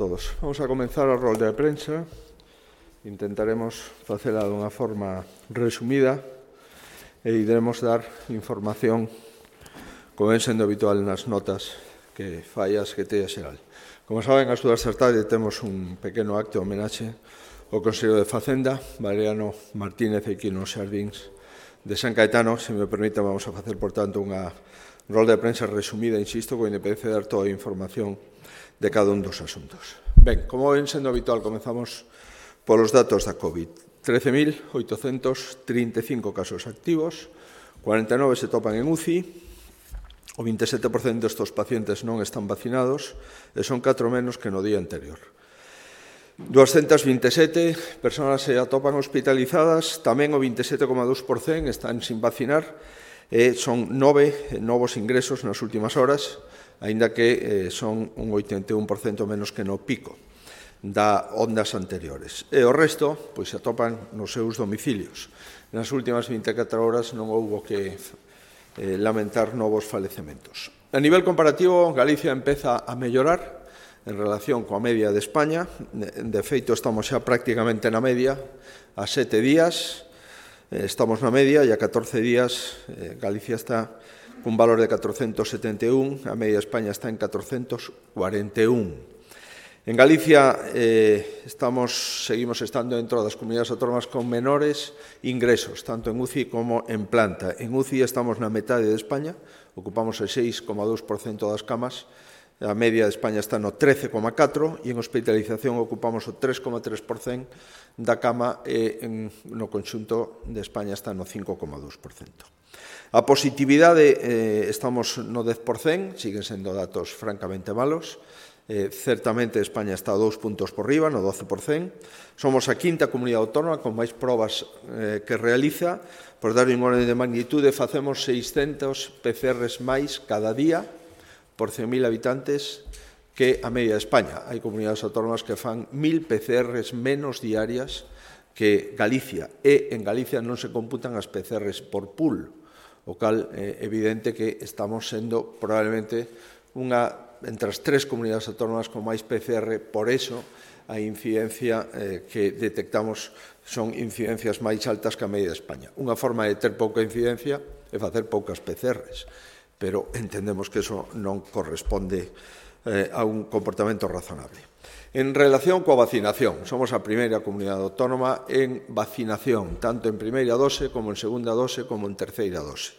Todos. Vamos a comenzar a rolda de prensa. Intentaremos facela dunha forma resumida e iremos dar información como ven sendo habitual nas notas que fai a Secretaría Xeral. Como saben, ás 2 da tarde temos un pequeno acto de homenaxe ao Consello de Facenda, Valeriano Martínez aquí nos xardíns de San Caetano. Se me permite, vamos a facer, por tanto, unha rolda de prensa resumida, insisto, con independencia de dar toda a información de cada un dos asuntos. Ben, como ven sendo habitual, comezamos polos datos da COVID. 13.835 casos activos, 49 se topan en UCI, o 27% destos pacientes non están vacinados e son 4 menos que no día anterior. 227 persoas se atopan hospitalizadas, tamén o 27,2% están sin vacinar e son 9 novos ingresos nas últimas horas, aínda que son un 81% menos que no pico das ondas anteriores. E o resto pois, se atopan nos seus domicilios. Nas últimas 24 horas non houbo que lamentar novos falecementos. A nivel comparativo, Galicia empeza a mellorar en relación coa media de España. De feito, estamos xa prácticamente na media. A 7 días estamos na media e a 14 días Galicia está cun valor de 471, a media de España está en 441. En Galicia seguimos estando dentro das comunidades autónomas con menores ingresos, tanto en UCI como en planta. En UCI estamos na metade de España, ocupamos el 6,2% das camas, a media de España está no 13,4% e en hospitalización ocupamos o 3,3% da cama e no conxunto de España está no 5,2%. A positividade estamos no 10%, siguen sendo datos francamente malos. Certamente España está 2 puntos por riba, no 12%. Somos a quinta comunidade autónoma con máis probas que realiza. Por dar un orden de magnitude, facemos 600 PCRs máis cada día por 100.000 habitantes que a media de España. Hai comunidades autónomas que fan 1.000 PCRs menos diarias que Galicia. E en Galicia non se computan as PCRs por pool, o cal é evidente que estamos sendo probablemente entre as 3 comunidades autónomas con máis PCR. Por eso a incidencia que detectamos son incidencias máis altas que a media de España. Unha forma de ter pouca incidencia é facer poucas PCRs, pero entendemos que eso non corresponde a un comportamento razonable. En relación coa vacinación, somos a primeira comunidade autónoma en vacinación, tanto en primeira dose como en segunda dose como en terceira dose.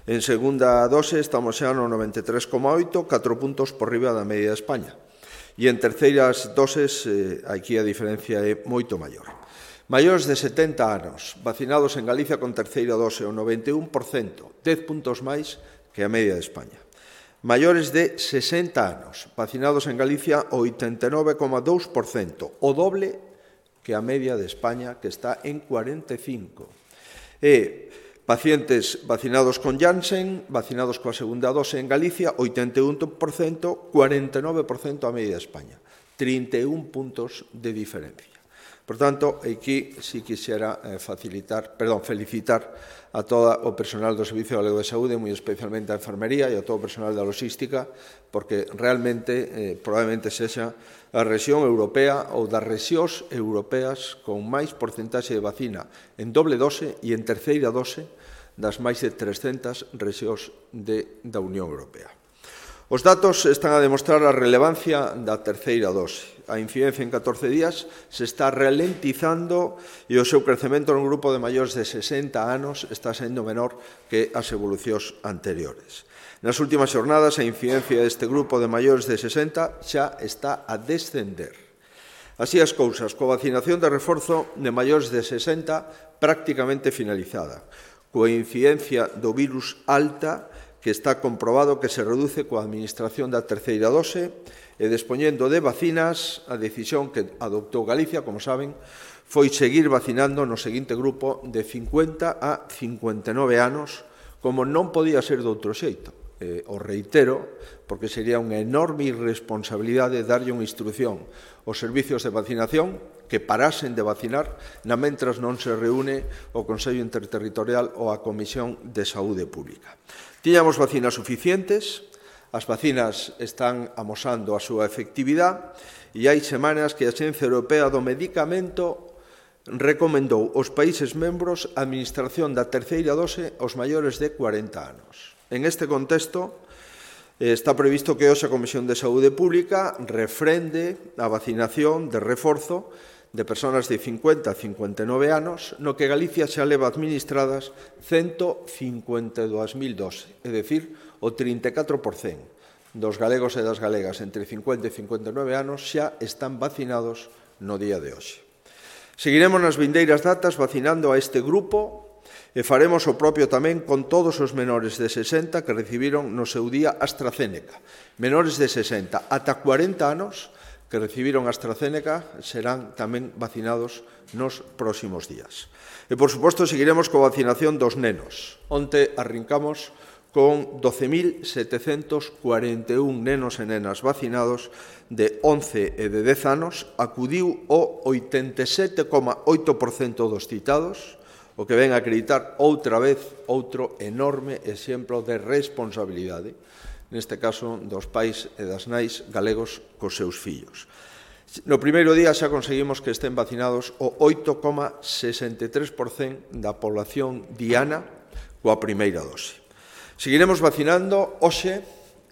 En segunda dose estamos xa no 93,8, 4 puntos por riba da media de España. E en terceiras doses, aquí a diferencia é moito maior. Maiores de 70 anos, vacinados en Galicia con terceira dose, o 91%, 10 puntos máis que a media de España. Maiores de 60 anos, vacinados en Galicia, o 89,2%, o doble que a media de España, que está en 45%. E pacientes vacinados con Janssen, vacinados coa segunda dose en Galicia, 81%, 49% a media de España. 31 puntos de diferencia. Por tanto, aquí si quixera felicitar a todo o personal do Servicio Galego de Saúde, moi especialmente a enfermería e a todo o personal da logística, porque realmente probablemente sexa a rexión europea ou das rexións europeas con máis porcentaxe de vacina en doble dose e en terceira dose das máis de 300 rexións da Unión Europea. Os datos están a demostrar a relevancia da terceira dose. A incidencia en 14 días se está ralentizando e o seu crecemento no grupo de maiores de 60 anos está sendo menor que as evolucións anteriores. Nas últimas xornadas, a incidencia deste grupo de maiores de 60 xa está a descender. Así as cousas, coa vacinación de reforzo de maiores de 60 prácticamente finalizada, coa incidencia do virus alta, que está comprobado que se reduce coa administración da terceira dose, e dispoñendo de vacinas, a decisión que adoptou Galicia, como saben, foi seguir vacinando no seguinte grupo de 50 a 59 anos, como non podía ser de outro xeito. O reitero, porque sería unha enorme irresponsabilidade darlle unha instrucción aos servicios de vacinación que parasen de vacinar na mentras non se reúne o Consello Interterritorial ou a Comisión de Saúde Pública. Tiñamos vacinas suficientes, as vacinas están amosando a súa efectividade e hai semanas que a Axencia Europea do Medicamento recomendou aos países membros a administración da terceira dose aos maiores de 40 anos. En este contexto, está previsto que hoxe a Comisión de Saúde Pública refrende a vacinación de reforzo de persoas de 50 a 59 anos, no que Galicia xa leva administradas 152.000 doses, é dicir, o 34% dos galegos e das galegas entre 50 e 59 anos xa están vacinados no día de hoxe. Seguiremos nas vindeiras datas vacinando a este grupo e faremos o propio tamén con todos os menores de 60 que recibiron no seu día AstraZeneca. Menores de 60 ata 40 anos que recibiron AstraZeneca serán tamén vacinados nos próximos días. E, por suposto, seguiremos coa vacinación dos nenos. Onte arrancamos con 12.741 nenos e nenas vacinados de 11 e de 10 anos, acudiu o 87,8% dos citados, o que ven a acreditar outra vez outro enorme exemplo de responsabilidade, neste caso dos pais e das nais galegos cos seus fillos. No primeiro día xa conseguimos que estén vacinados o 8,63% da población diana coa primeira dose. Seguiremos vacinando hoxe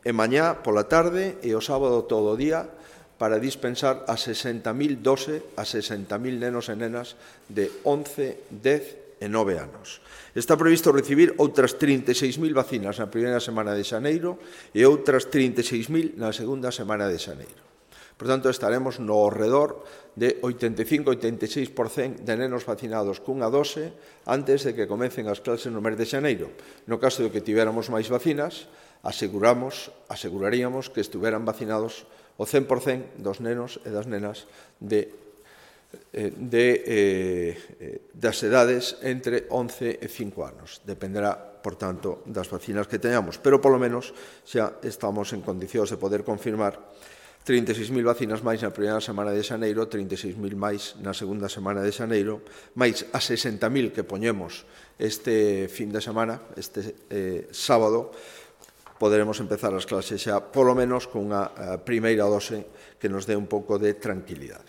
e mañá pola tarde e o sábado todo o día para dispensar a 60.000 doses a 60.000 nenos e nenas de 11, 10 e 9 anos. Está previsto recibir outras 36.000 vacinas na primeira semana de xaneiro e outras 36.000 na segunda semana de xaneiro. Por tanto, estaremos no alrededor de 85-86% de nenos vacinados cunha dose antes de que comecen as clases no mes de xaneiro. No caso de que tivéramos máis vacinas, aseguraríamos que estuveran vacinados o 100% dos nenos e das nenas das edades entre 11 e 5 anos. Dependerá, por tanto, das vacinas que teñamos, pero polo menos xa estamos en condicións de poder confirmar 36.000 vacinas máis na primeira semana de xaneiro, 36.000 máis na segunda semana de xaneiro, máis a 60.000 que poñemos este fin de semana, este sábado, poderemos empezar as clases xa, polo menos, con unha primeira dose que nos dé un pouco de tranquilidade.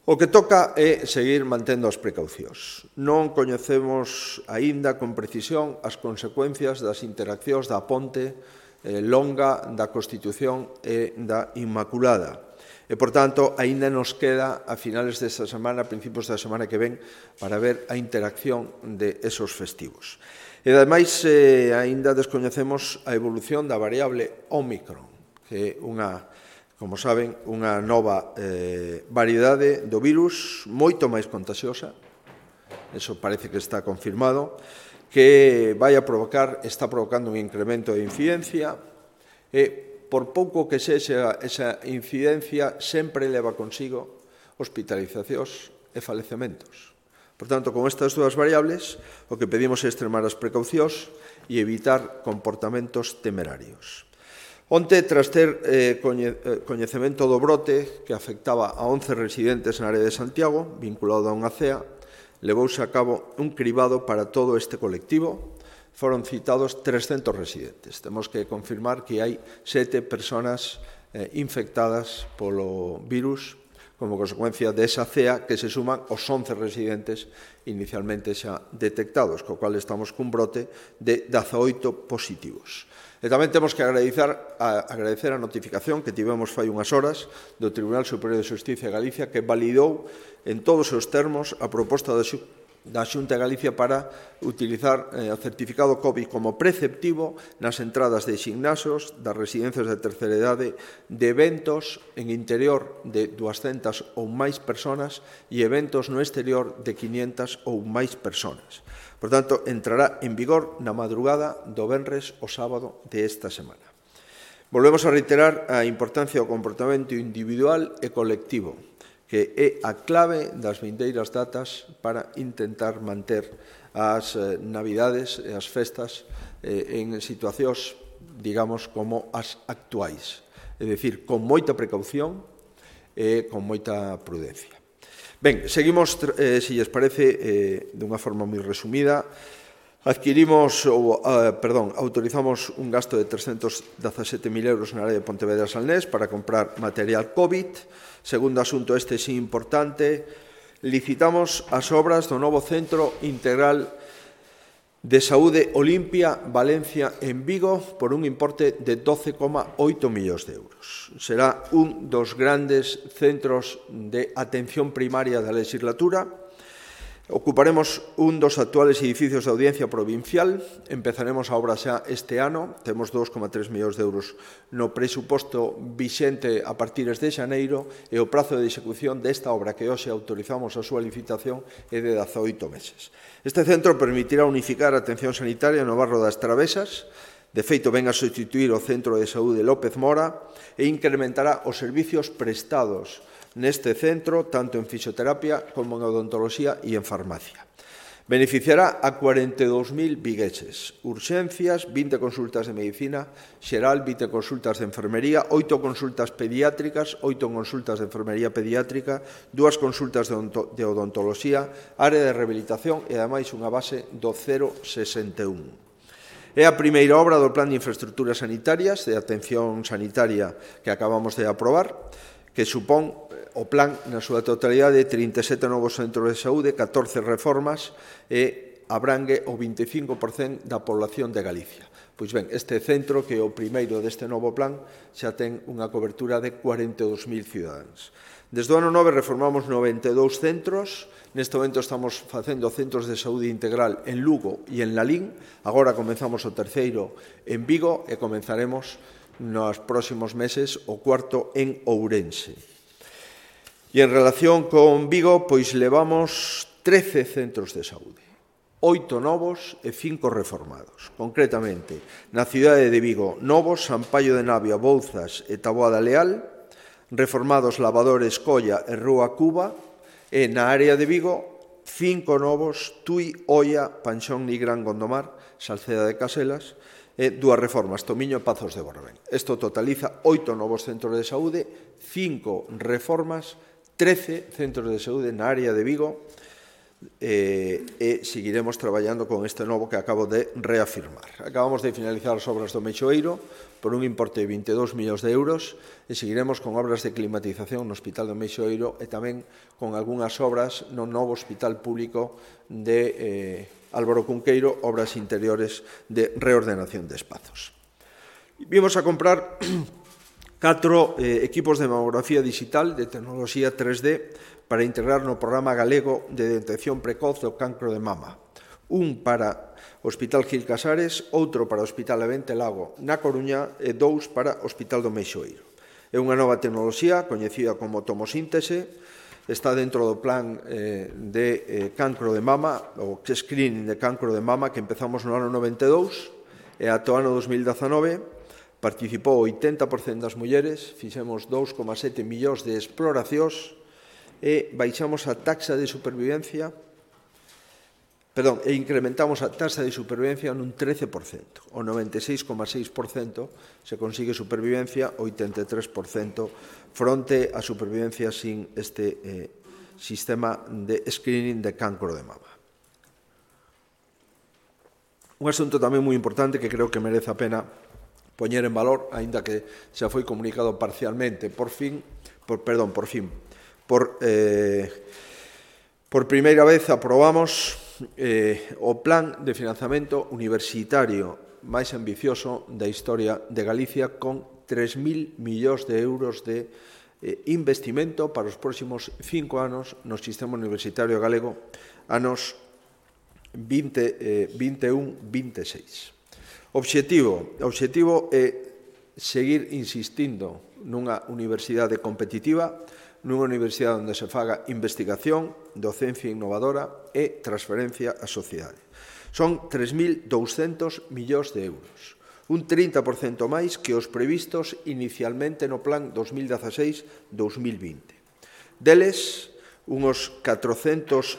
O que toca é seguir mantendo as precaucións. Non coñecemos aínda con precisión as consecuencias das interaccións da ponte longa da Constitución e da Inmaculada. E, por tanto, aínda nos queda a finales desta semana, a principios da semana que ven, para ver a interacción de esos festivos. E, ademais, aínda descoñecemos a evolución da variable Ómicron, que é como saben, unha nova variedade do virus moito máis contagiosa, eso parece que está confirmado, que está provocando un incremento de incidencia e, por pouco que sexa esa incidencia, sempre leva consigo hospitalizacións e falecementos. Por tanto, con estas dúas variables, o que pedimos é extremar as precaucións e evitar comportamentos temerarios. Onte, tras ter coñecemento do brote que afectaba a 11 residentes na área de Santiago, vinculado a unha cea, levouse a cabo un cribado para todo este colectivo. Foron citados 300 residentes. Temos que confirmar que hai 7 persoas infectadas polo virus como consecuencia desa cea que se suman aos 11 residentes inicialmente xa detectados, co cual estamos cun brote de 18 positivos. E tamén temos que agradecer a notificación que tivemos fai unhas horas do Tribunal Superior de Xustiza de Galicia, que validou en todos os termos a proposta da Xunta de Galicia para utilizar o certificado COVID como preceptivo nas entradas de gimnasios, das residencias de terceira idade, de eventos en interior de 200 ou máis persoas e eventos no exterior de 500 ou máis persoas. Por tanto, entrará en vigor na madrugada do venres ao sábado de esta semana. Volvemos a reiterar a importancia do comportamento individual e colectivo, que é a clave das vindeiras datas para intentar manter as navidades e as festas en situacións, digamos, como as actuais. É dicir, con moita precaución e con moita prudencia. Ben, seguimos, se lles parece, dunha forma moi resumida, autorizamos un gasto de 317.000 euros na área de Pontevedra Salnés para comprar material COVID. Segundo asunto, este sí importante, licitamos as obras do novo Centro Integral de Saúde Olimpia Valencia en Vigo por un importe de 12,8 millóns de euros. Será un dos grandes centros de atención primaria da legislatura. Ocuparemos un dos actuales edificios de audiencia provincial. Empezaremos a obra xa este ano. Temos 2,3 millóns de euros no presuposto vixente a partir de xaneiro e o prazo de execución desta obra que hoxe autorizamos a súa licitación é de 18 meses. Este centro permitirá unificar a atención sanitaria no barro das Travesas. De feito, ven a sustituir o Centro de Saúde López Mora e incrementará os servicios prestados neste centro, tanto en fisioterapia como en odontoloxía e en farmacia. Beneficiará a 42.000 vigueses. Urxencias, 20 consultas de medicina xeral, 20 consultas de enfermería, 8 consultas pediátricas, 8 consultas de enfermería pediátrica, 2 consultas de odontoloxía, área de rehabilitación e, ademais, unha base do 061. É a primeira obra do Plan de Infraestructuras Sanitarias de Atención Sanitaria que acabamos de aprobar, que supón o plan na súa totalidade 37 novos centros de saúde, 14 reformas e abrangue o 25% da población de Galicia. Pois ben, este centro, que é o primeiro deste novo plan, xa ten unha cobertura de 42.000 cidadáns. Desde o ano 9 reformamos 92 centros. Neste momento estamos facendo centros de saúde integral en Lugo e en Lalín. Agora comenzamos o terceiro en Vigo e comenzaremos nos próximos meses o cuarto en Ourense. E en relación con Vigo, pois levamos 13 centros de saúde, 8 novos e 5 reformados. Concretamente, na cidade de Vigo, novos, Sampaio de Navia, Bouzas e Taboada Leal, reformados Lavadores, Colla e Rúa Cuba, e na área de Vigo, 5 novos, Tui, Oia, Panxón, Nigrán, Gondomar, Salceda de Caselas, e 2 reformas, Tomiño e Pazos de Borbén. Isto totaliza 8 novos centros de saúde, 5 reformas, 13 centros de saúde na área de Vigo e seguiremos traballando con este novo que acabo de reafirmar. Acabamos de finalizar as obras do Meixoeiro por un importe de 22 millóns de euros e seguiremos con obras de climatización no Hospital do Meixoeiro e tamén con algunhas obras no novo Hospital Público de Álvaro Cunqueiro, obras interiores de reordenación de espazos. Vimos a comprar 4 equipos de mamografía digital de tecnoloxía 3D para integrar no programa galego de detección precoz do cancro de mama. Un para o Hospital Gil Casares, outro para o Hospital Levente Lago na Coruña e 2 para o Hospital do Meixoeiro. É unha nova tecnoloxía coñecida como tomosíntese, está dentro do plan de cancro de mama, o screening de cancro de mama que empezamos no ano 92 e ata o ano 2019, participou o 80% das mulleres, fixemos 2,7 millóns de exploracións e baixamos a taxa de supervivencia, e incrementamos a taxa de supervivencia nun 13%. O 96,6% se consigue supervivencia, o 83% fronte a supervivencia sin este sistema de screening de cancro de mama. Un asunto tamén moi importante que creo que merece a pena poñer en valor, aínda que xa foi comunicado parcialmente, por primeira vez aprobamos o plan de financiamento universitario máis ambicioso da historia de Galicia con 3.000 millóns de euros de investimento para os próximos 5 anos no sistema universitario galego, anos 21-26. O obxectivo é seguir insistindo nunha universidade competitiva, nunha universidade onde se faga investigación, docencia innovadora e transferencia á sociedade. Son 3.200 millóns de euros, un 30% máis que os previstos inicialmente no plan 2016-2020. Deles, unos 470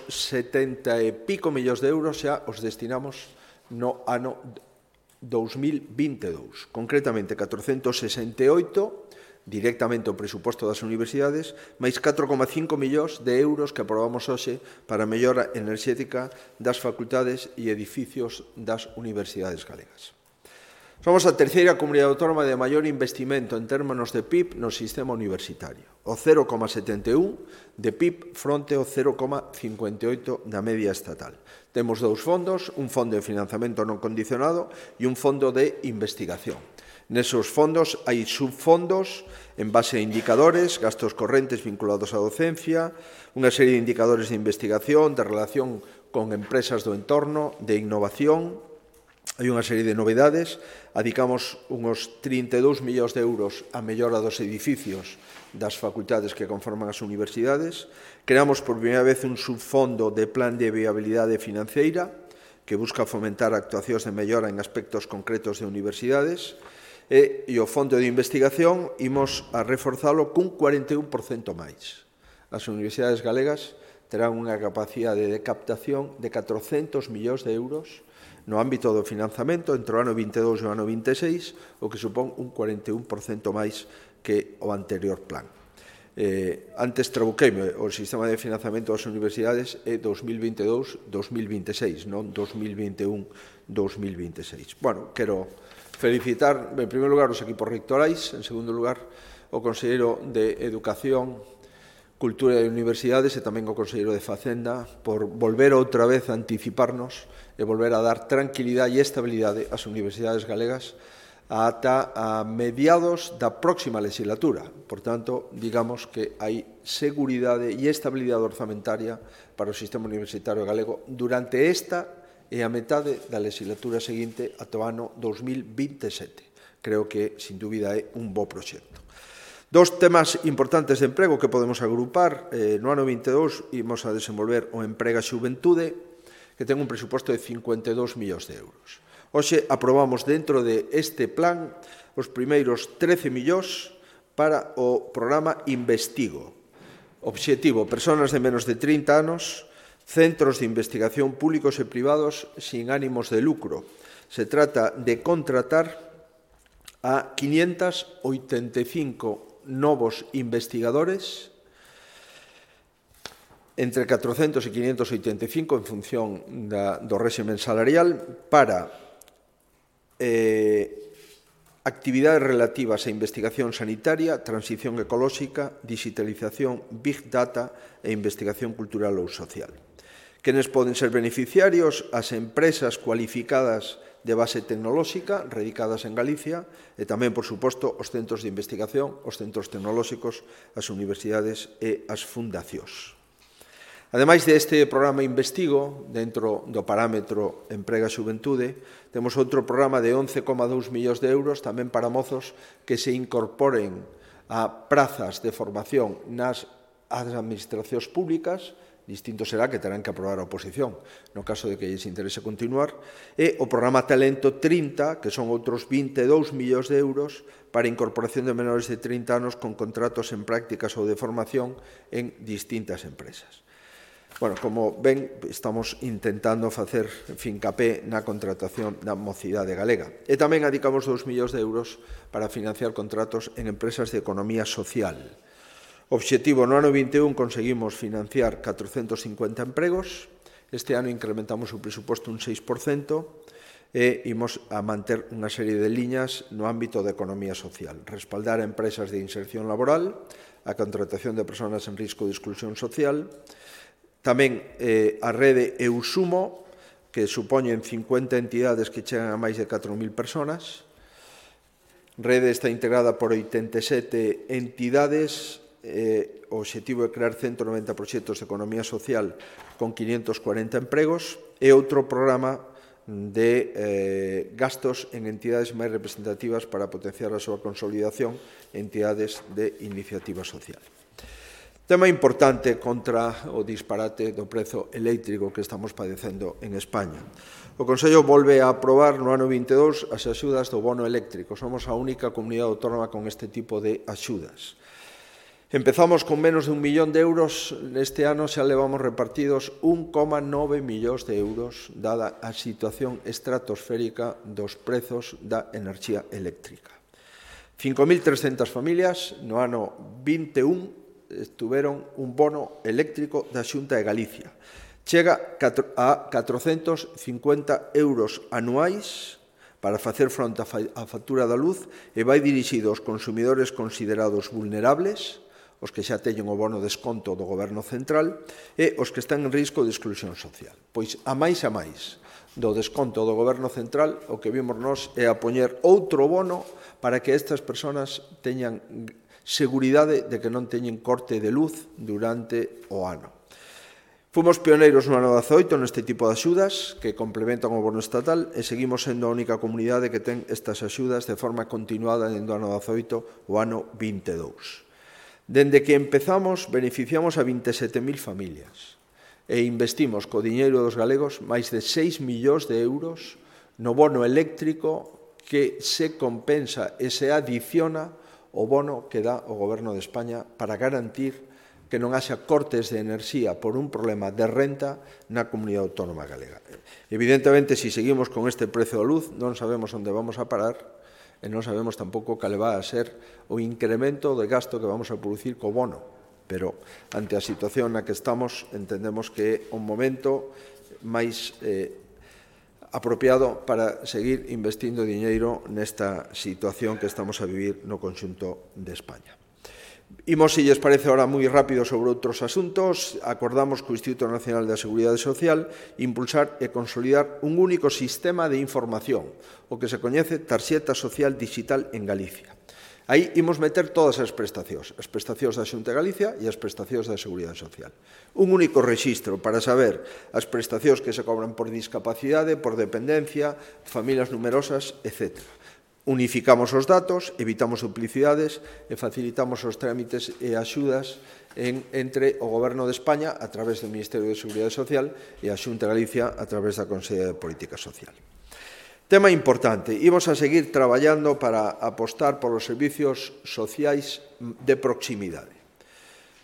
e pico millóns de euros xa os destinamos no ano 2022, concretamente 468 directamente o presuposto das universidades, máis 4,5 millóns de euros que aprobamos hoxe para a mellora enerxética das facultades e edificios das universidades galegas. Somos a terceira comunidade autónoma de maior investimento en términos de PIB no sistema universitario, o 0,71 de PIB fronte ao 0,58 da media estatal. Temos dous fondos, un fondo de financiamento non condicionado e un fondo de investigación. Nesos fondos hai subfondos en base a indicadores, gastos correntes vinculados á docencia, unha serie de indicadores de investigación, de relación con empresas do entorno, de innovación. Hai unha serie de novedades, adicamos uns 32 millóns de euros á mellora dos edificios das facultades que conforman as universidades, creamos por primeira vez un subfondo de plan de viabilidade financeira que busca fomentar actuacións de mellora en aspectos concretos de universidades e o fondo de investigación imos a reforzalo cun 41% máis. As universidades galegas terán unha capacidade de captación de 400 millóns de euros no ámbito do financiamento entre o ano 22 e o ano 26, o que supón un 41% máis que o anterior plan. Antes trabuqueime, o sistema de financiamento das universidades é 2022-2026, non 2021-2026. Bueno, quero felicitar, en primeiro lugar, os equipos rectorais, en segundo lugar, o Conselleiro de Educación, Cultura e Universidades e tamén o Conselleiro de Facenda por volver outra vez a anticiparnos e volver a dar tranquilidade e estabilidade ás universidades galegas ata a mediados da próxima legislatura. Por tanto, digamos que hai seguridade e estabilidade orzamentaria para o sistema universitario galego durante esta e a metade da legislatura seguinte ata o ano 2027. Creo que, sin dúbida, é un bo proxecto. Dos temas importantes de emprego que podemos agrupar. No ano 22 imos a desenvolver o Emprega Xuventude, que ten un presuposto de 52 millóns de euros. Hoxe aprobamos dentro de este plan os primeiros 13 millóns para o programa Investigo. Obxectivo, persoas de menos de 30 anos, centros de investigación públicos e privados sin ánimos de lucro. Se trata de contratar a 585 novos investigadores, entre 400 e 585 en función do réximen salarial, para actividades relativas a investigación sanitaria, transición ecolóxica, digitalización, big data e investigación cultural ou social. Quenes poden ser beneficiarios? As empresas cualificadas de base tecnolóxica radicadas en Galicia e tamén, por suposto, os centros de investigación, os centros tecnolóxicos, as universidades e as fundacións. Ademais deste programa Investigo, dentro do parámetro Emprega Xuventude, temos outro programa de 11,2 millóns de euros tamén para mozos que se incorporen a prazas de formación nas administracións públicas. Distinto será que terán que aprobar a oposición no caso de que lles interese continuar, e o programa Talento 30, que son outros 22 millóns de euros para a incorporación de menores de 30 anos con contratos en prácticas ou de formación en distintas empresas. Bueno, como ven, estamos intentando facer fincapé na contratación da mocidade galega. E tamén adicamos 2 millóns de euros para financiar contratos en empresas de economía social. Obxectivo, no ano 21 conseguimos financiar 450 empregos, este ano incrementamos o presuposto un 6% e imos a manter unha serie de liñas no ámbito da economía social. Respaldar a empresas de inserción laboral, a contratación de persoas en risco de exclusión social, tamén a rede Eusumo, que supoñen 50 entidades que chegan a máis de 4.000 personas. Rede está integrada por 87 entidades. O obxectivo é crear 190 proxectos de economía social con 540 empregos e outro programa de gastos en entidades máis representativas para potenciar a súa consolidación en entidades de iniciativa social. Tema importante contra o disparate do prezo eléctrico que estamos padecendo en España. O Consello volve a aprobar no ano 22 as axudas do bono eléctrico. Somos a única comunidade autónoma con este tipo de axudas. Empezamos con menos de 1 millón de euros, este ano xa levamos repartidos 1,9 millóns de euros, dada a situación estratosférica dos prezos da enerxía eléctrica. 5.300 familias no ano 21 tuveron un bono eléctrico da Xunta de Galicia. Chega a 450 euros anuais para facer fronte á factura da luz e vai dirixido aos consumidores considerados vulnerables, os que xa teñen o bono desconto do Goberno Central e os que están en risco de exclusión social. Pois a máis do desconto do Goberno Central, o que vimos nós é a poñer outro bono para que estas persoas teñan seguridade de que non teñen corte de luz durante o ano. Fomos pioneiros no ano 18 neste tipo de axudas que complementan o bono estatal e seguimos sendo a única comunidade que ten estas axudas de forma continuada dentro do ano 18 o ano 22. Dende que empezamos, beneficiamos a 27.000 familias e investimos co diñeiro dos galegos máis de 6 millóns de euros no bono eléctrico que se compensa e se adiciona o bono que dá o Goberno de España para garantir que non haxa cortes de enerxía por un problema de renta na comunidade autónoma galega. Evidentemente, se seguimos con este prezo da luz, non sabemos onde vamos a parar e non sabemos tampouco cal vai a ser o incremento de gasto que vamos a producir co bono. Pero, ante a situación na que estamos, entendemos que é un momento máis apropiado para seguir investindo diñeiro nesta situación que estamos a vivir no conxunto de España. Imos, se lles parece, ahora moi rápido sobre outros asuntos. Acordamos co Instituto Nacional da Seguridade Social impulsar e consolidar un único sistema de información, o que se coñece Tarxeta Social Digital en Galicia. Aí imos meter todas as prestacións da Xunta de Galicia e as prestacións da Seguridade Social. Un único rexistro para saber as prestacións que se cobran por discapacidade, por dependencia, familias numerosas, etc. Unificamos os datos, evitamos duplicidades e facilitamos os trámites e axudas entre o Goberno de España a través do Ministerio de Seguridade Social e a Xunta de Galicia a través da Consellería de Política Social. Tema importante, imos a seguir traballando para apostar polos servicios sociais de proximidade.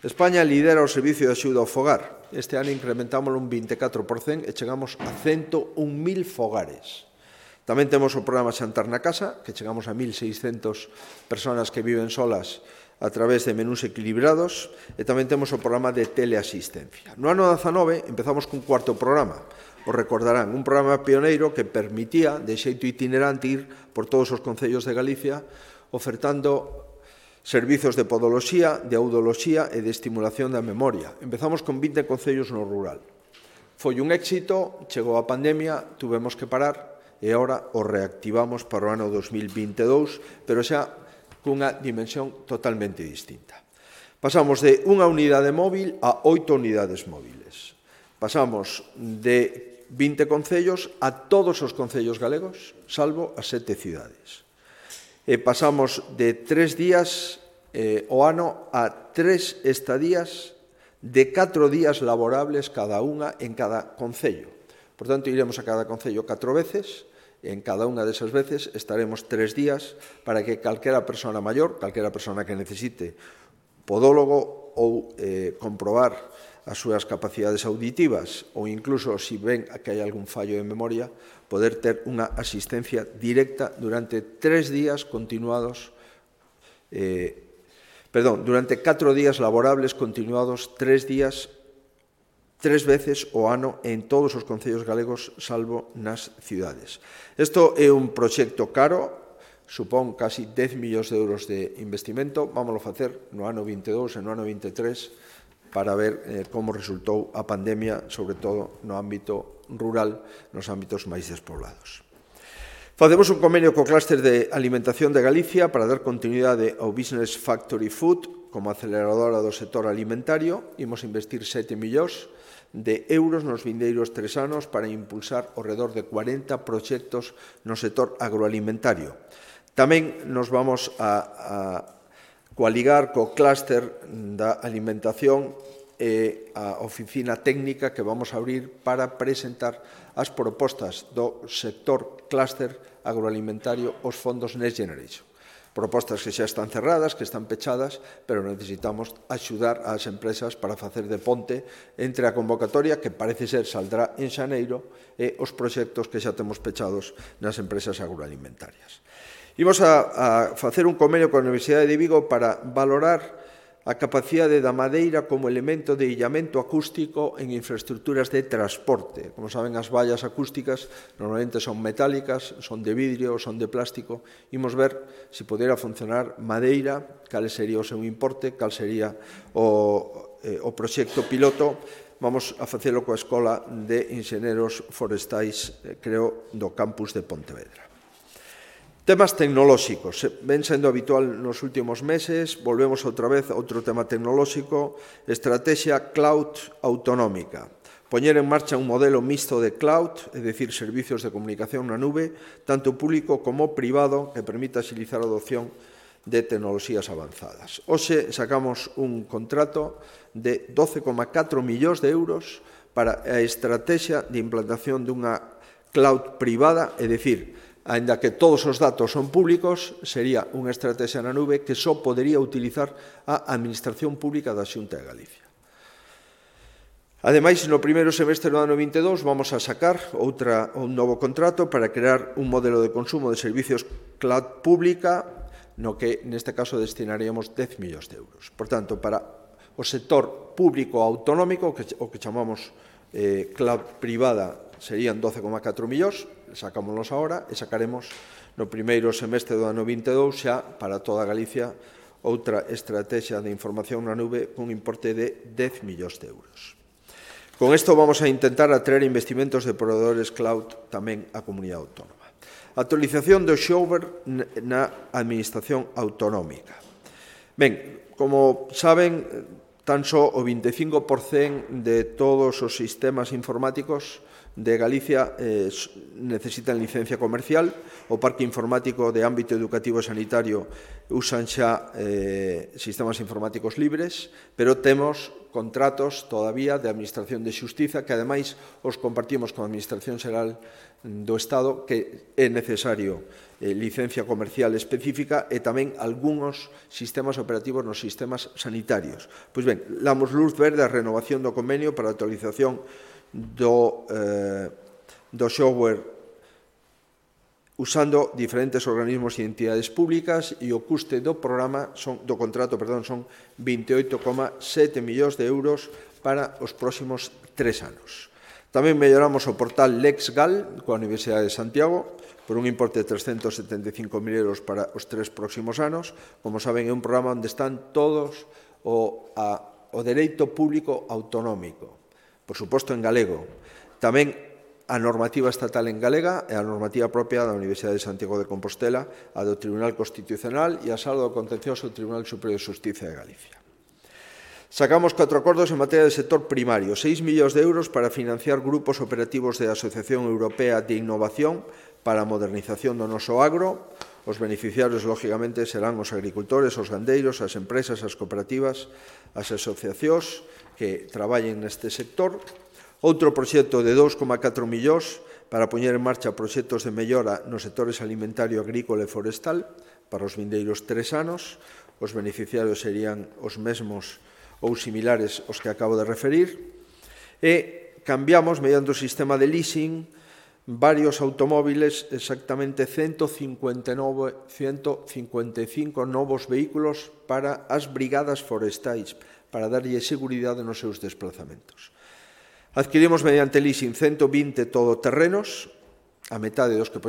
España lidera o servicio de axuda ao fogar. Este ano incrementámoslo un 24% e chegamos a 101.000 fogares. Tamén temos o programa Xantar na Casa, que chegamos a 1.600 persoas que viven solas a través de menús equilibrados, e tamén temos o programa de teleasistencia. No ano 19 empezamos cun cuarto programa, o recordarán, un programa pioneiro que permitía, de xeito itinerante, ir por todos os concellos de Galicia, ofertando servizos de podoloxía, de audioloxía e de estimulación da memoria. Empezamos con 20 concellos no rural. Foi un éxito, chegou a pandemia, tuvemos que parar, e agora o reactivamos para o ano 2022, pero xa cunha dimensión totalmente distinta. Pasamos de unha unidade móvil a 8 unidades móviles. Pasamos de 20 concellos a todos os concellos galegos, salvo as 7 cidades. E pasamos de 3 días o ano a 3 estadías de 4 días laborables cada unha en cada concello. Por tanto, iremos a cada concello 4 veces, e en cada unha desas veces estaremos 3 días para que calquera persona maior, calquera persona que necesite podólogo ou comprobar as súas capacidades auditivas ou incluso se ven que hai algún fallo de memoria, poder ter unha asistencia directa durante 3 días continuados, durante 4 días laborables continuados, 3 días 3 veces o ano en todos os concellos galegos, salvo nas cidades. Isto é un proxecto caro, supón casi 10 millóns de euros de investimento. Vámoslo facer no ano 22 e no ano 23 para ver como resultou a pandemia, sobre todo no ámbito rural, nos ámbitos máis despoblados. Facemos un convenio co Clúster de Alimentación de Galicia para dar continuidade ao Business Factory Food como aceleradora do sector alimentario. Imos investir 7 millóns de euros nos vindeiros 3 anos para impulsar ao redor de 40 proxectos no sector agroalimentario. Tamén nos vamos a coaligar co Clúster da Alimentación e a oficina técnica que vamos a abrir para presentar as propostas do sector clúster agroalimentario aos fondos Next Generation. Propostas que xa están cerradas, que están pechadas, pero necesitamos axudar ás empresas para facer de ponte entre a convocatoria, que parece ser saldrá en xaneiro, e os proxectos que xa temos pechados nas empresas agroalimentarias. Imos a facer un convenio coa Universidade de Vigo para valorar a capacidade da madeira como elemento de illamento acústico en infraestructuras de transporte. Como saben, as vallas acústicas normalmente son metálicas, son de vidrio, son de plástico. Imos ver se podera funcionar madeira, cal sería o seu importe, cal sería o proxecto piloto. Vamos a facelo coa Escola de Inxenieros Forestais, creo, do campus de Pontevedra. Temas tecnolóxicos. Ven sendo habitual nos últimos meses, volvemos outra vez a outro tema tecnolóxico, estrategia cloud autonómica. Poñer en marcha un modelo mixto de cloud, é dicir, servicios de comunicación na nube, tanto público como privado, que permita axilizar a adopción de tecnoloxías avanzadas. Hoxe sacamos un contrato de 12,4 millóns de euros para a estrategia de implantación dunha cloud privada, é dicir, aínda que todos os datos son públicos, sería unha estrategia na nube que só podería utilizar a Administración Pública da Xunta de Galicia. Ademais, no primeiro semestre do ano 22 vamos a sacar un novo contrato para crear un modelo de consumo de servicios cloud pública, no que neste caso destinaríamos 10 millóns de euros. Por tanto, para o sector público autonómico, o que chamamos cloud privada, serían 12,4 millóns, sacámonos agora e sacaremos no primeiro semestre do ano 22 xa para toda Galicia outra estrategia de información na nube con un importe de 10 millóns de euros. Con isto vamos a intentar atraer investimentos de proveedores cloud tamén á comunidade autónoma. Actualización do software na administración autonómica. Ben, como saben, tan só o 25% de todos os sistemas informáticos de Galicia necesitan licencia comercial. O parque informático de ámbito educativo e sanitario usan xa sistemas informáticos libres, pero temos contratos todavía de Administración de Xustiza que, ademais, os compartimos con a Administración Xeral do Estado, que é necesario licencia comercial específica e tamén algúns sistemas operativos nos sistemas sanitarios. Pois ben, damos luz verde á renovación do convenio para a actualización do software usando diferentes organismos e entidades públicas, e o custe do programa do contrato son 28,7 millóns de euros para os próximos 3 anos. Tamén melloramos o portal LexGal coa Universidade de Santiago por un importe de 375.000 euros para os 3 próximos anos. Como saben, é un programa onde están todos o dereito público autonómico, por suposto en galego. Tamén a normativa estatal en galega e a normativa propia da Universidade de Santiago de Compostela, a do Tribunal Constitucional e a Sala do Contencioso do Tribunal Superior de Xustiza de Galicia. Sacamos 4 acordos en materia de sector primario, 6 millóns de euros para financiar grupos operativos da Asociación Europea de Innovación para a modernización do noso agro. Os beneficiarios, lógicamente, serán os agricultores, os gandeiros, as empresas, as cooperativas, as asociacións que traballen neste sector. Outro proxecto de 2,4 millóns para poñer en marcha proxectos de mellora nos sectores alimentario, agrícola e forestal para os vindeiros 3 anos. Os beneficiarios serían os mesmos ou similares aos que acabo de referir. E cambiamos, mediante o sistema de leasing, varios automóviles, exactamente 155 novos vehículos para as brigadas forestais, para darlle seguridade nos seus desplazamentos. Adquirimos mediante leasing 120 todoterrenos, a metade dos que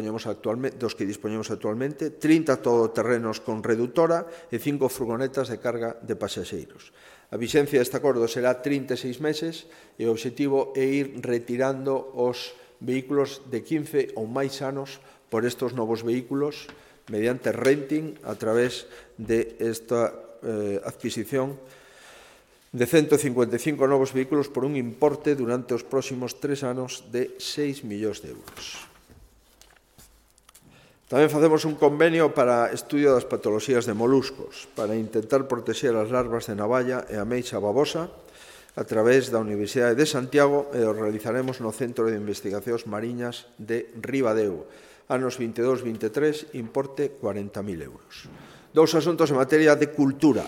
dispoñemos actualmente, 30 todoterrenos con redutora e 5 furgonetas de carga de pasaxeiros. A vixencia deste acordo será 36 meses e o obxectivo é ir retirando os vehículos de 15 ou máis anos por estes novos vehículos mediante renting a través de esta adquisición de 155 novos vehículos por un importe durante os próximos 3 anos de 6 millóns de euros. Tamén facemos un convenio para estudio das patoloxías de moluscos para intentar protexer as larvas de navalla e a meixa babosa a través da Universidade de Santiago, e o realizaremos no Centro de Investigacións Mariñas de Ribadeo, anos 22-23, importe 40.000 euros. 2 asuntos en materia de cultura.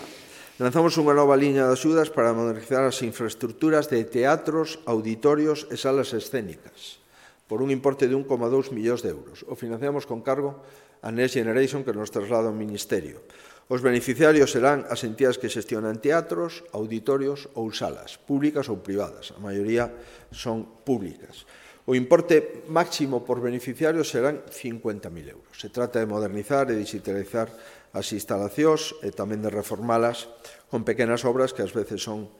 Lanzamos unha nova liña de axudas para modernizar as infraestructuras de teatros, auditorios e salas escénicas por un importe de 1,2 millóns de euros. O financiamos con cargo a Next Generation que nos traslada o Ministerio. Os beneficiarios serán as entidades que xestionan teatros, auditorios ou salas, públicas ou privadas. A maioría son públicas. O importe máximo por beneficiario serán 50.000 euros. Se trata de modernizar e digitalizar as instalacións e tamén de reformalas con pequenas obras que ás veces son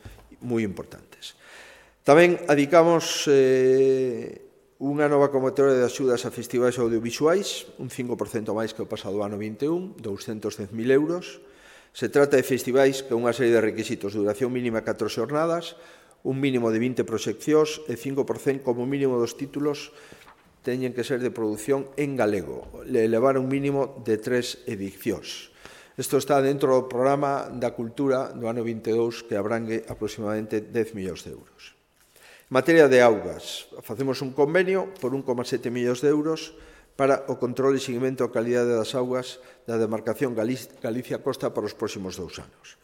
moi importantes. Tamén adicamos unha nova convocatoria de axudas a festivais audiovisuais, un 5% máis que o pasado ano 21, 210.000 euros. Se trata de festivais con unha serie de requisitos, duración mínima 4 xornadas, un mínimo de 20 proxeccións e 5% como mínimo dos títulos teñen que ser de produción en galego, elevar un mínimo de 3 edicións. Isto está dentro do programa da cultura do ano 22 que abrangue aproximadamente 10 millóns de euros. En materia de augas, facemos un convenio por 1,7 millóns de euros para o control e seguimento da calidade das augas da demarcación Galicia-Costa para os próximos 2 anos.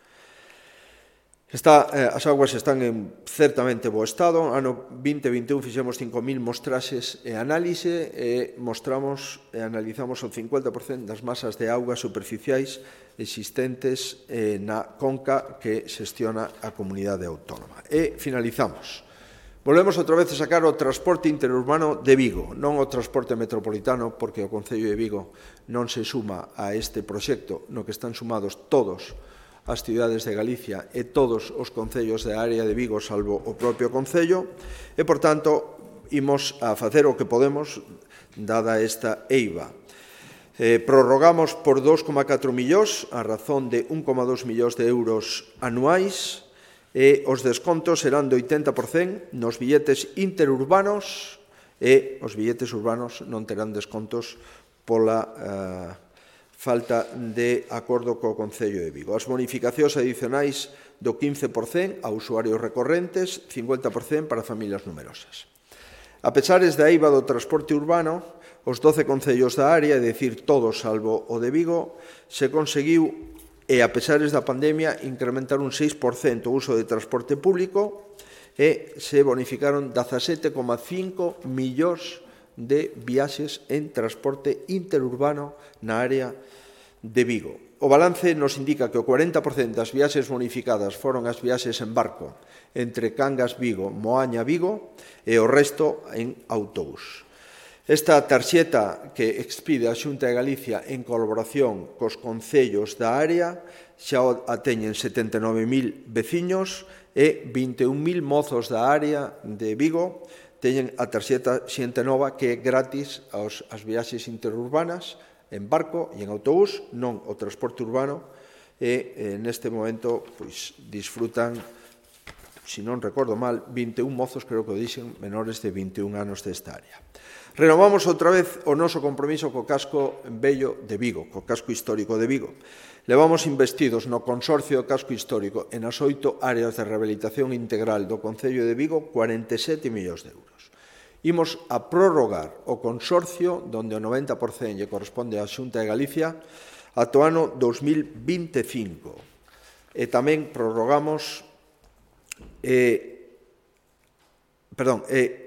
As augas están en certamente bo estado. Ano 2021 fixemos 5.000 mostraxes e análise e analizamos o 50% das masas de augas superficiais existentes na conca que xestiona a comunidade autónoma. E finalizamos. Volvemos outra vez a sacar o transporte interurbano de Vigo, non o transporte metropolitano, porque o Concello de Vigo non se suma a este proxecto no que están sumados todos as cidades de Galicia e todos os concellos da área de Vigo, salvo o propio Concello, e, por tanto, imos a facer o que podemos, dada esta eiva. Prorrogamos por 2,4 millóns, a razón de 1,2 millóns de euros anuais, e os descontos serán do 80% nos billetes interurbanos e os billetes urbanos non terán descontos pola falta de acordo co Concello de Vigo. As bonificacións adicionais do 15% a usuarios recorrentes, 50% para familias numerosas. A pesares da eiva do transporte urbano, os 12 concellos da área, é dicir, todos salvo o de Vigo, se conseguiu e, a pesares da pandemia, incrementar un 6% o uso de transporte público e se bonificaron 17,5 millóns de viaxes en transporte interurbano na área de Vigo. O balance nos indica que o 40% das viaxes bonificadas foron as viaxes en barco entre Cangas, Vigo, Moaña, Vigo e o resto en autobús. Esta tarxeta que expide a Xunta de Galicia en colaboración cos concellos da área xa a teñen 79.000 veciños e 21.000 mozos da área de Vigo teñen a tarxeta Xente Nova que é gratis as viaxes interurbanas en barco e en autobús, non o transporte urbano, e neste momento disfrutan, se non recordo mal, 21 mozos, creo que o dixen, menores de 21 anos desta área. Renovamos outra vez o noso compromiso co casco vello de Vigo, co casco histórico de Vigo. Levamos investidos no Consorcio do Casco Histórico e nas 8 áreas de rehabilitación integral do Concello de Vigo 47 millóns de euros. Imos a prorrogar o consorcio, donde o 90% lle corresponde á Xunta de Galicia, ata o ano 2025. E tamén prorrogamos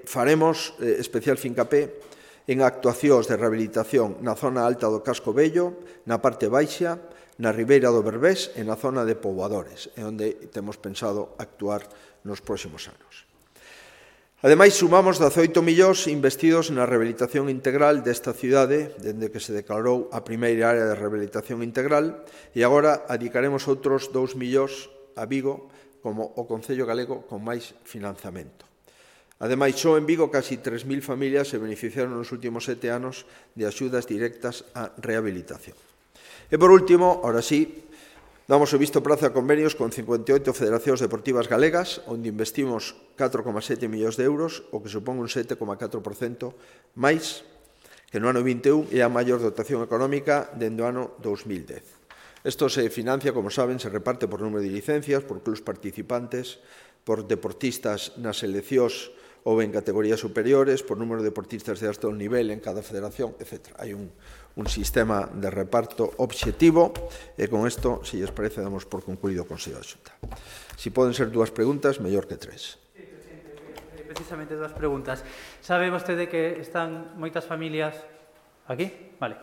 faremos especial fincapé en actuacións de rehabilitación na zona alta do casco vello, na parte baixa, na ribeira do Berbés e na zona de poboadores, é onde temos pensado actuar nos próximos anos. Ademais, sumamos 18 millóns investidos na rehabilitación integral desta cidade, dende que se declarou a primeira área de rehabilitación integral, e agora adicaremos outros 2 millóns a Vigo como o Concello galego con máis financiamento. Ademais, só en Vigo casi 3.000 familias se beneficiaron nos últimos 7 anos de axudas directas á rehabilitación. E, por último, ahora sí, damos o visto prazo a convenios con 58 federacións deportivas galegas, onde investimos 4,7 millóns de euros, o que supón un 7,4% máis que no ano 21 e a maior dotación económica dende o ano 2010. Isto se financia, como saben, se reparte por número de licencias, por clubs participantes, por deportistas nas seleccións ou en categorías superiores, por número de deportistas de alto nivel en cada federación, etc. Hai un sistema de reparto obxectivo e con isto, se lles parece, damos por concluído o Consello da Xunta. Si poden ser 2 preguntas, mellor que 3. Sí, presidente, precisamente 2 preguntas. Sabe vostede que están moitas familias aquí? Vale.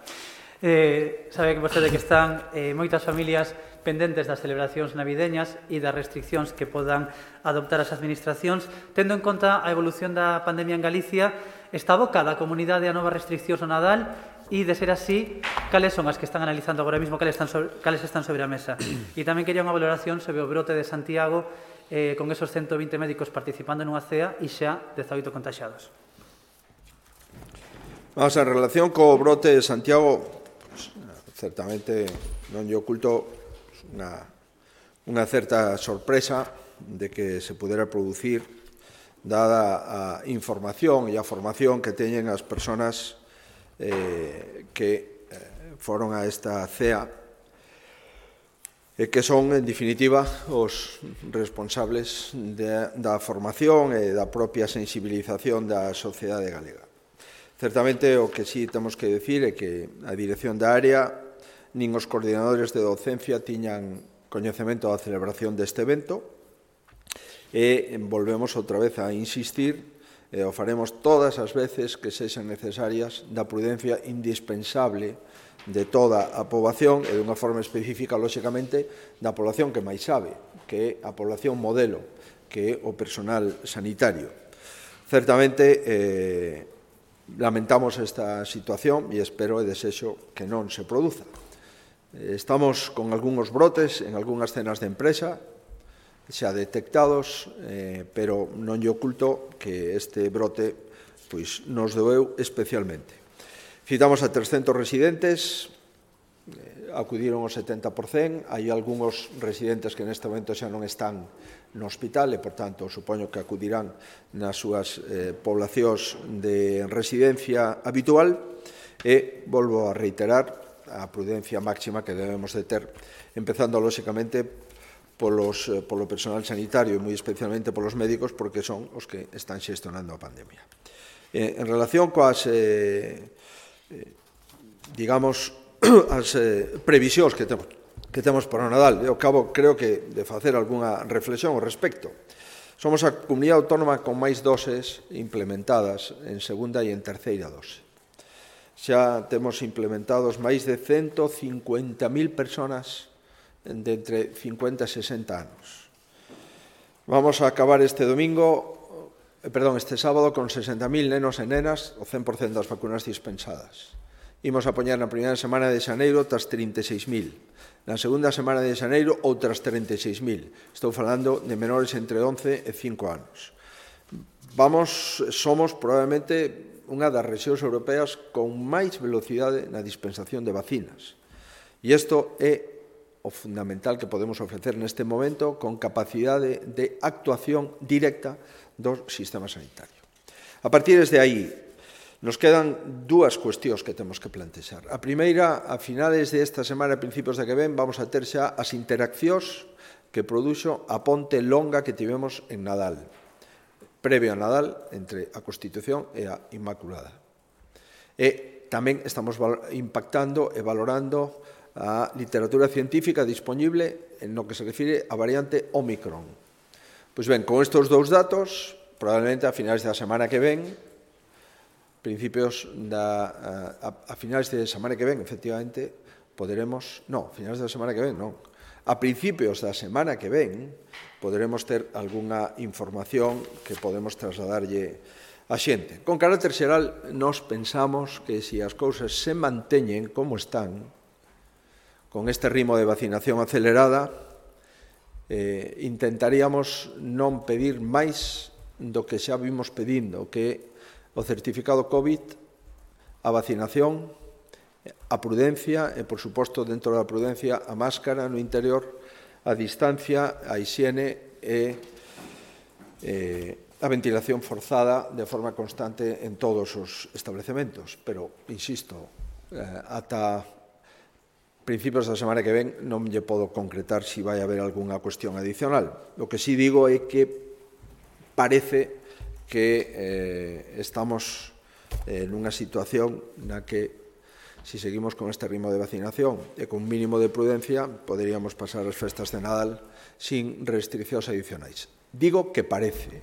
Sabe que vostede que están moitas familias pendentes das celebracións navideñas e das restriccións que podan adoptar as administracións. Tendo en conta a evolución da pandemia en Galicia, está abocada a comunidade a novas restriccións no Nadal e, de ser así, cales son as que están analizando agora mesmo, cales están sobre a mesa? E tamén quería unha valoración sobre o brote de Santiago con esos 120 médicos participando nunha cea e xa 18 contaxiados. Vamos, en relación co brote de Santiago, pues, certamente non lle oculto unha certa sorpresa de que se pudera producir dada a información e a formación que teñen as persoas que foron a esta cea e que son, en definitiva, os responsables da formación e da propia sensibilización da sociedade galega. Certamente, o que sí temos que decir é que a dirección da área nin os coordinadores de docencia tiñan coñecemento da celebración deste evento e volvemos outra vez a insistir e o faremos todas as veces que sexan necesarias da prudencia indispensable de toda a poboación e dunha forma específica, lóxicamente, da poboación que máis sabe, que é a poboación modelo, que é o personal sanitario. Certamente, lamentamos esta situación e espero e desexo que non se produza. Estamos con algúns brotes en algunhas cenas de empresa, xa detectados, pero non lle oculto que este brote nos doeu especialmente. Citamos a 300 residentes, acudiron o 70%, hai algúns residentes que neste momento xa non están no hospital e, por tanto, supoño que acudirán nas súas poblacións de residencia habitual e volvo a reiterar a prudencia máxima que debemos de ter, empezando, lóxicamente, polo personal sanitario e moi especialmente polos médicos, porque son os que están xestionando a pandemia. En relación coas, digamos, as previsións que temos para o Nadal, eu creo que de facer algunha reflexión ao respecto. Somos a comunidade autónoma con máis doses implementadas en segunda e en terceira dose. Xa temos implementados máis de 150.000 persoas de entre 50 e 60 anos. Vamos a acabar este sábado con 60.000 nenos e nenas, o 100% das vacunas dispensadas. Imos a poñer na primeira semana de xaneiro outras 36.000. Na segunda semana de xaneiro outras 36.000. Estou falando de menores entre 11 e 5 anos. Somos probablemente unha das rexións europeas con máis velocidade na dispensación de vacinas. E isto é o fundamental que podemos ofrecer neste momento con capacidade de actuación directa do sistema sanitario. A partir de aí, nos quedan dúas cuestións que temos que plantexar. A primeira, a finales desta semana, a principios de que ven, vamos a ter xa as interaccións que produxo a ponte longa que tivemos en Nadal, previo a Nadal, entre a Constitución e a Inmaculada. E tamén estamos impactando e valorando a literatura científica disponible en lo que se refire a variante Omicron. Pois ben, con estes dous datos, probablemente a finais da semana que ven, a finais de semana que ven, efectivamente, a principios da semana que ven, poderemos ter algunha información que podemos trasladarlle a xente. Con carácter xeral, nós pensamos que se as cousas se manteñen como están, con este ritmo de vacinación acelerada, intentaríamos non pedir máis do que xa vimos pedindo, que o certificado COVID, a vacinación, a prudencia e, por suposto, dentro da prudencia, a máscara no interior, a distancia, a hixiene e a ventilación forzada de forma constante en todos os establecementos. Pero, insisto, ata principios da semana que ven non lle podo concretar se vai haber algunha cuestión adicional. O que sí digo é que parece que estamos nunha situación na que, se seguimos con este ritmo de vacinación e con un mínimo de prudencia, poderíamos pasar as festas de Nadal sin restriccións adicionais. Digo que parece.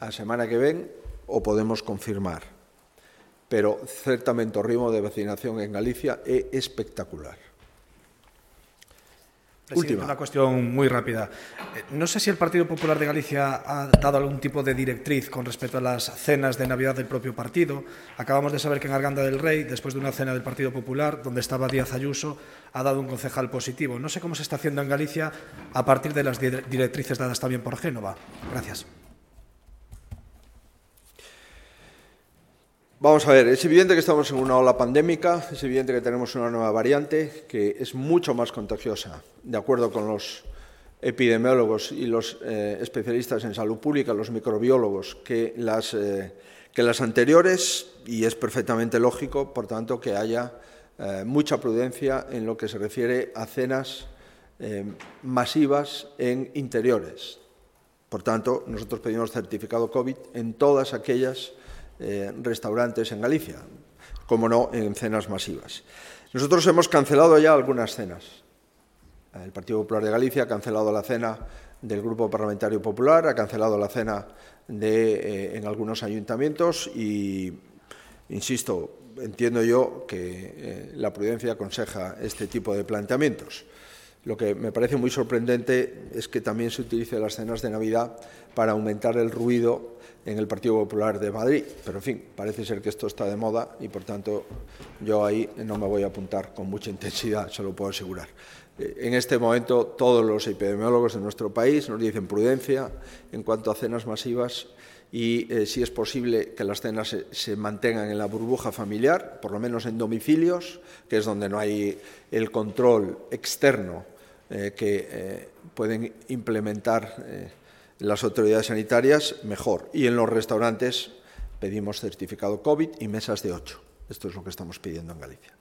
A semana que ven o podemos confirmar. pero certamente o ritmo de vacinación en Galicia é espectacular. Presidente, una cuestión muy rápida. No sé si el Partido Popular de Galicia ha dado algún tipo de directriz con respecto a las cenas de Navidad del propio partido. Acabamos de saber que en Arganda del Rey, después de una cena del Partido Popular, donde estaba Díaz Ayuso, ha dado un concejal positivo. No sé cómo se está haciendo en Galicia a partir de las directrices dadas también por Génova. Gracias. Vamos a ver, es evidente que estamos en una ola pandémica, es evidente que tenemos una nueva variante que es mucho más contagiosa, de acuerdo con los epidemiólogos y los especialistas en salud pública, los microbiólogos, que las anteriores, y es perfectamente lógico, por tanto, que haya mucha prudencia en lo que se refiere a cenas masivas en interiores. Por tanto, nosotros pedimos certificado COVID en todas aquellas restaurantes en Galicia, como no en cenas masivas. Nosotros hemos cancelado ya algunas cenas. El Partido Popular de Galicia ha cancelado la cena del Grupo Parlamentario Popular, ha cancelado la cena en algunos ayuntamientos y, insisto, entiendo yo que la prudencia aconseja este tipo de planteamientos. Lo que me parece muy sorprendente es que también se utilice las cenas de Navidad para aumentar el ruido en el Partido Popular de Madrid. Pero, en fin, parece ser que esto está de moda y, por tanto, yo ahí no me voy a apuntar con mucha intensidad, se lo puedo asegurar. En este momento, todos los epidemiólogos de nuestro país nos dicen prudencia en cuanto a cenas masivas y, si es posible, que las cenas se mantengan en la burbuja familiar, por lo menos en domicilios, que es donde no hay el control externo que pueden implementar las autoridades sanitarias, mejor. Y en los restaurantes pedimos certificado COVID y mesas de 8. Esto es lo que estamos pidiendo en Galicia.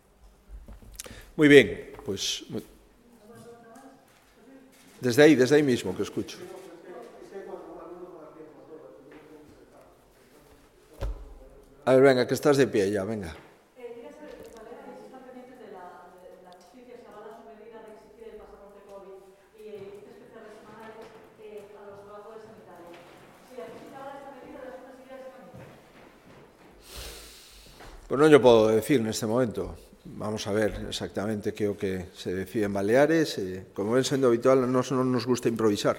Muy bien, pues desde ahí mismo que escucho. A ver, venga, que estás de pie ya, venga. Pues non yo podo decir neste momento. Vamos a ver exactamente que é o que se decide en Baleares. Como ven sendo habitual, non nos gusta improvisar.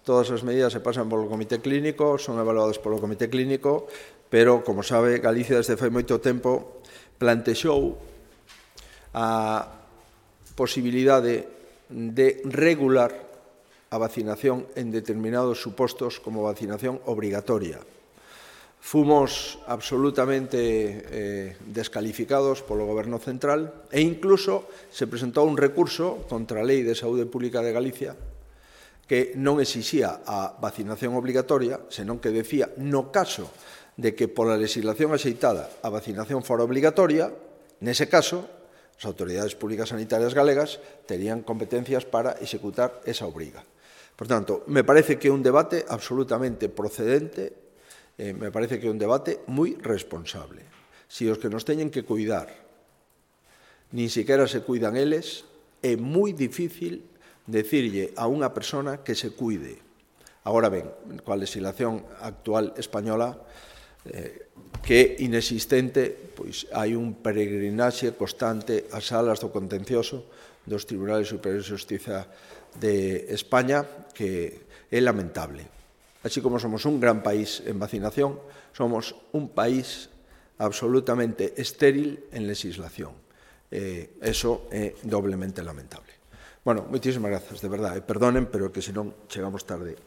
Todas as medidas se pasan polo comité clínico, son evaluadas polo comité clínico, pero, como sabe, Galicia desde fai moito tempo plantexou a posibilidade de regular a vacinación en determinados supostos como vacinación obrigatoria. Fomos absolutamente descalificados polo Goberno Central e incluso se presentou un recurso contra a Lei de Saúde Pública de Galicia que non exixía a vacinación obligatoria, senón que decía, no caso de que pola legislación axeitada a vacinación fora obligatoria, nese caso, as autoridades públicas sanitarias galegas terían competencias para executar esa obriga. Por tanto, me parece que é un debate absolutamente procedente, me parece que é un debate moi responsable. Si os que nos teñen que cuidar nin siquiera se cuidan eles, é moi difícil decirlle a unha persona que se cuide. Agora ben, coa legislación actual española, que é inexistente, pois hai un peregrinaxe constante ás salas do contencioso dos Tribunales Superiores de Xustiza de España, que é lamentable. Así como somos un gran país en vacinación, somos un país absolutamente estéril en legislación. Eso é doblemente lamentable. Bueno, moitísimas grazas, de verdade. Perdonen, pero que senón chegamos tarde.